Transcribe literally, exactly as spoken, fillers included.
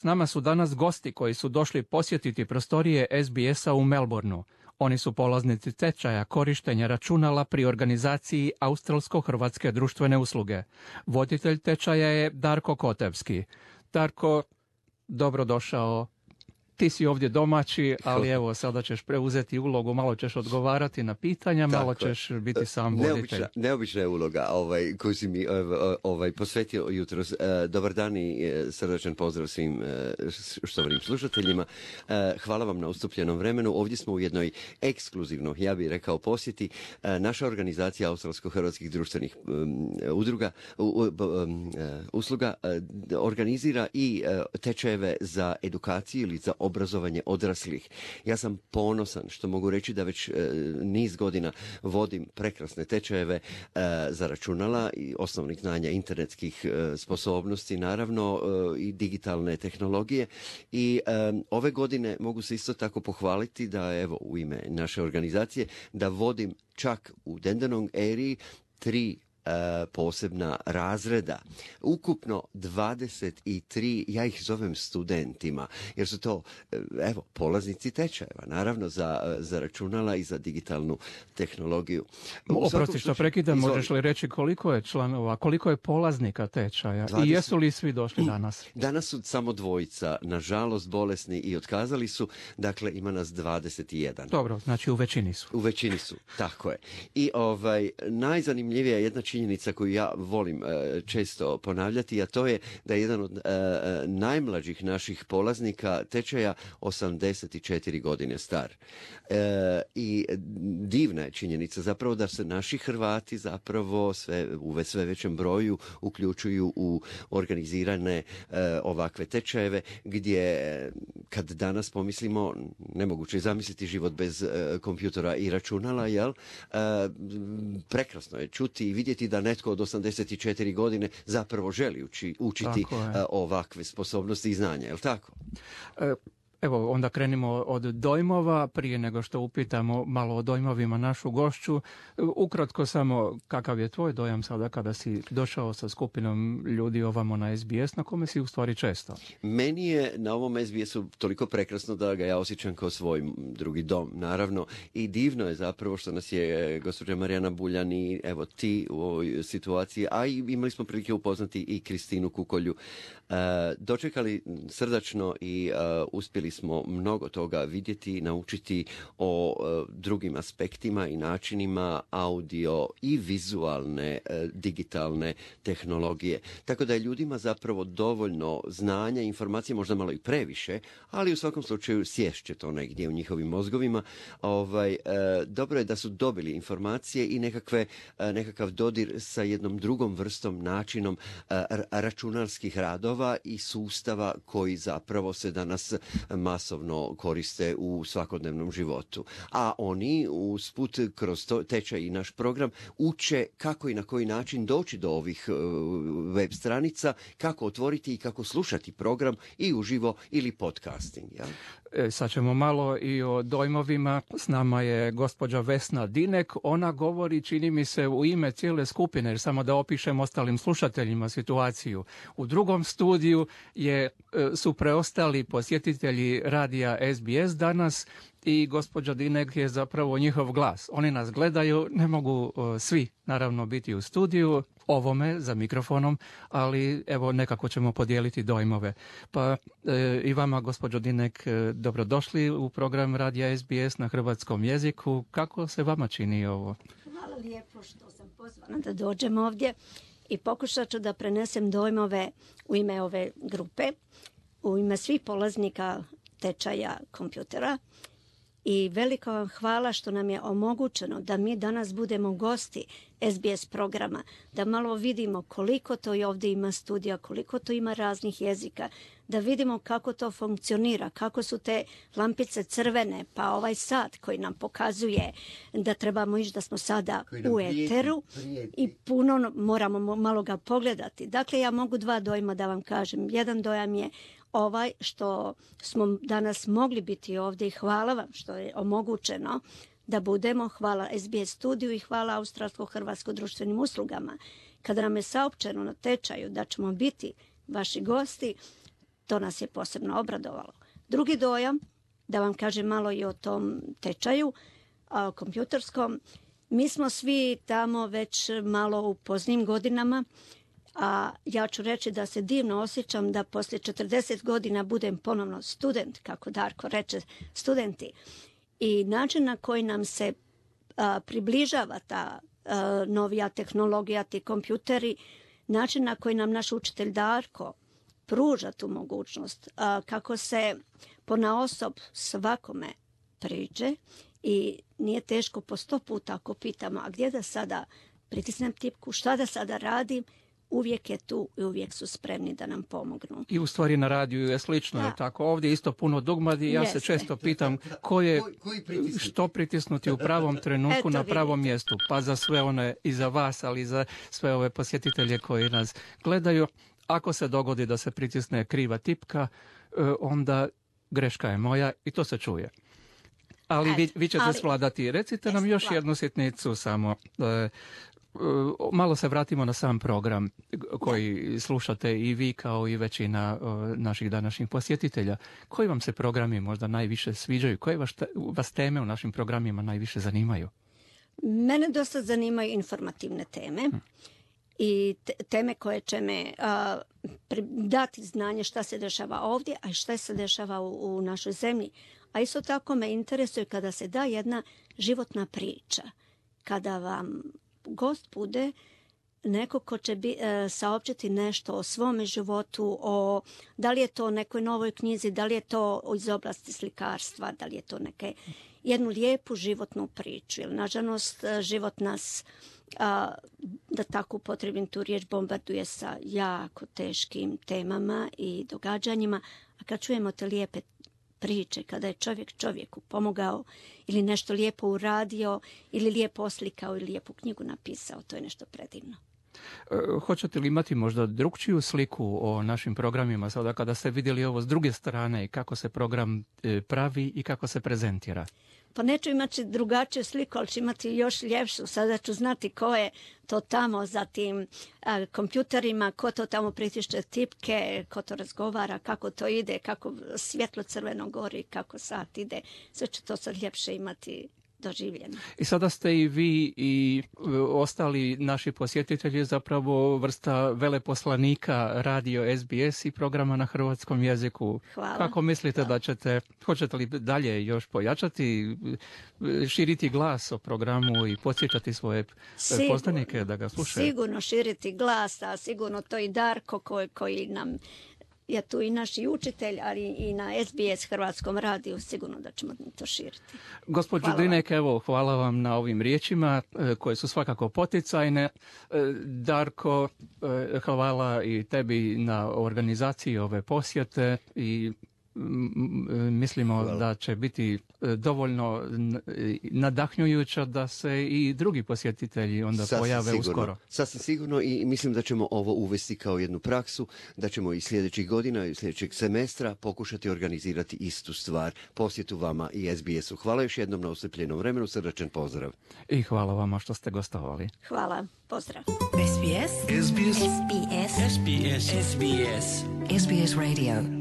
S nama su danas gosti koji su došli posjetiti prostorije S B S-a u Melbourneu. Oni su polaznici tečaja korištenja računala pri organizaciji Australsko-hrvatske društvene usluge. Voditelj tečaja je Darko Kotevski. Darko, dobrodošao. Ti si ovdje domaći, ali evo, sada ćeš preuzeti ulogu, malo ćeš odgovarati na pitanja, tako, malo ćeš biti sam voditelj. Neobična, neobična je uloga ovaj, koju si mi ovaj, posvetio jutros. Dobar dan i srdačan pozdrav svim štovanim slušateljima. Hvala vam na ustupljenom vremenu. Ovdje smo u jednoj ekskluzivnoj, ja bih rekao, posjeti. Naša organizacija Australsko-hrvatskih društvenih udruga, usluga organizira i tečajeve za edukaciju ili za obrazovanje odraslih. Ja sam ponosan što mogu reći da već e, niz godina vodim prekrasne tečajeve e, za računala i osnovnih znanja internetskih e, sposobnosti, naravno e, i digitalne tehnologije. I e, ove godine mogu se isto tako pohvaliti da, evo, u ime naše organizacije, da vodim čak u Dandenong eriji tri posebna razreda. Ukupno dvadeset tri, ja ih zovem studentima, jer su to, evo, polaznici tečajeva, naravno za, za računala i za digitalnu tehnologiju. Oprosti što prekidam, možeš li reći koliko je članova, koliko je polaznika tečaja dvadeset i jesu li svi došli danas? Danas su samo dvojica, nažalost bolesni i otkazali su, dakle ima nas dvadeset jedan. Dobro, znači u većini su. U većini su, tako je. I ovaj, najzanimljivija je jedna činjenica koju ja volim e, često ponavljati, a to je da je jedan od e, najmlađih naših polaznika tečaja osamdeset četiri godine star. E, I divna je činjenica zapravo da se naši Hrvati zapravo sve, u sve većem broju uključuju u organizirane e, ovakve tečajeve gdje kad danas pomislimo, nemoguće je zamisliti život bez e, kompjutora i računala, jel? E, prekrasno je čuti i vidjeti da netko od osamdeset četiri godine zapravo želi uči, učiti ovakve sposobnosti i znanja, je li tako? E, evo, onda krenimo od dojmova, prije nego što upitamo malo o dojmovima našu gošću. Ukratko samo, kakav je tvoj dojam sada kada si došao sa skupinom ljudi ovamo na S B S, na kome si u stvari često? Meni je na ovom S B S-u toliko prekrasno da ga ja osjećam kao svoj drugi dom, naravno. I divno je zapravo što nas je gospođa Marijana Buljan i evo ti u ovoj situaciji, a i imali smo prilike upoznati i Kristinu Kukolju. Uh, dočekali srdačno i uh, uspjeli smo mnogo toga vidjeti, naučiti o uh, drugim aspektima i načinima audio i vizualne uh, digitalne tehnologije. Tako da je ljudima zapravo dovoljno znanja, informacije, možda malo i previše, ali u svakom slučaju sješće to negdje u njihovim mozgovima. Ovaj, uh, dobro je da su dobili informacije i nekakve, uh, nekakav dodir sa jednom drugom vrstom, načinom uh, računarskih radova i sustava koji zapravo se danas masovno koriste u svakodnevnom životu. A oni usput kroz to, tečaj i naš program uče kako i na koji način doći do ovih web stranica, kako otvoriti i kako slušati program i uživo ili podcasting. Ja? E, sad ćemo malo i o dojmovima. S nama je gospođa Vesna Dinek. Ona govori, čini mi se, u ime cijele skupine, jer samo da opišem ostalim slušateljima situaciju. U drugom studiju je, su preostali posjetitelji radija S B S danas i gospođa Dinek je zapravo njihov glas. Oni nas gledaju, ne mogu uh, svi naravno biti u studiju ovome za mikrofonom, ali evo nekako ćemo podijeliti dojmove. Pa e, i vama, gospođo Dinek, dobrodošli u program radija S B S na hrvatskom jeziku. Kako se vama čini ovo? Hvala lijepo što sam pozvana da dođem ovdje i pokušat ću da prenesem dojmove u ime ove grupe, u ime svih polaznika tečaja kompjutera. I veliko vam hvala što nam je omogućeno da mi danas budemo gosti S B S programa, da malo vidimo koliko to i ovdje ima studija, koliko to ima raznih jezika, da vidimo kako to funkcionira, kako su te lampice crvene, pa ovaj sat koji nam pokazuje da trebamo ići, da smo sada u eteru i puno moramo malo ga pogledati. Dakle, ja mogu dva dojma da vam kažem. Jedan dojam je ovaj što smo danas mogli biti ovdje i hvala vam što je omogućeno da budemo, hvala S B S studiju i hvala Australsko-hrvatsko društvenim uslugama. Kada nam je saopćeno na tečaju da ćemo biti vaši gosti, To nas je posebno obradovalo. Drugi dojam, da vam kažem malo i o tom tečaju a, kompjuterskom, mi smo svi tamo već malo u poznim godinama, a ja ću reći da se divno osjećam da poslije četrdeset godina budem ponovno student, kako Darko reče, studenti. I način na koji nam se a, približava ta a, novija tehnologija, ti kompjuteri, način na koji nam naš učitelj Darko pruža tu mogućnost, a, kako se ponaosob svakome priđe i nije teško po sto puta ako pitamo, a gdje da sada pritisnem tipku, šta da sada radim, uvijek je tu i uvijek su spremni da nam pomognu. I u stvari na radiju je slično, je tako? Ovdje isto puno dugmadi. Ja Jeste. se često pitam ko je, što pritisnuti u pravom trenutku Eto, na pravom vidite. mjestu. Pa za sve one i za vas, ali i za sve ove posjetitelje koji nas gledaju. Ako se dogodi da se pritisne kriva tipka, onda greška je moja i to se čuje. Ali vi, vi ćete ali, svladati. Recite nam još jednu sitnicu samo. Malo se vratimo na sam program koji slušate i vi kao i većina naših današnjih posjetitelja. Koji vam se programi možda najviše sviđaju? Koje vas, vas teme u našim programima najviše zanimaju? Mene dosta zanimaju informativne teme. Hmm. I teme koje će me a, dati znanje šta se dešava ovdje, a šta se dešava u, u našoj zemlji. A isto tako me interesuje kada se da jedna životna priča. Kada vam gost bude neko ko će bi, e, saopćiti nešto o svome životu, o da li je to nekoj novoj knjizi, da li je to iz oblasti slikarstva, da li je to neke, jednu lijepu životnu priču. Jer, nažalost, život nas, a, da tako upotrebim tu riječ, bombarduje sa jako teškim temama i događanjima. A kad čujemo te lijepe priče, kada je čovjek čovjeku pomogao ili nešto lijepo uradio ili lijepo oslikao ili lijepu knjigu napisao, to je nešto predivno. E, hoćete li imati možda drugčiju sliku o našim programima sada kada ste vidjeli ovo s druge strane i kako se program e, pravi i kako se prezentira? Pa neću imati drugačiju sliku, ali ću imati još ljepšu. Sada ću znati ko je to tamo za tim a, kompjuterima, ko to tamo pritišće tipke, ko to razgovara, kako to ide, kako svjetlo crveno gori, kako sat ide. Sve ću to sad ljepše imati doživljeno. I sada ste i vi i ostali naši posjetitelji zapravo vrsta veleposlanika radio S B S i programa na hrvatskom jeziku. Hvala. Kako mislite da ćete, hoćete li dalje još pojačati, širiti glas o programu i podsjećati svoje sigurno, poznanike da ga slušaju? Sigurno širiti glas, a sigurno to i Darko koji, koji nam je tu i naš učitelj, ali i na S B S Hrvatskom radiju, sigurno da ćemo to širiti. Gospođo Dinek, evo, hvala vam na ovim riječima koje su svakako poticajne. Darko, hvala i tebi na organizaciji ove posjete i mislimo Hvala. da će biti dovoljno nadahnjujuća da se i drugi posjetitelji onda Sasvim pojave sigurno. uskoro. Sasvim sigurno i mislim da ćemo ovo uvesti kao jednu praksu, da ćemo i sljedećih godina i sljedećeg semestra pokušati organizirati istu stvar, posjetu vama i S B S-u. Hvala još jednom na oslijepljenom vremenu, srdačan pozdrav. I hvala vama što ste gostovali. Hvala, pozdrav. S B S S B S S B S S B S S B S Radio.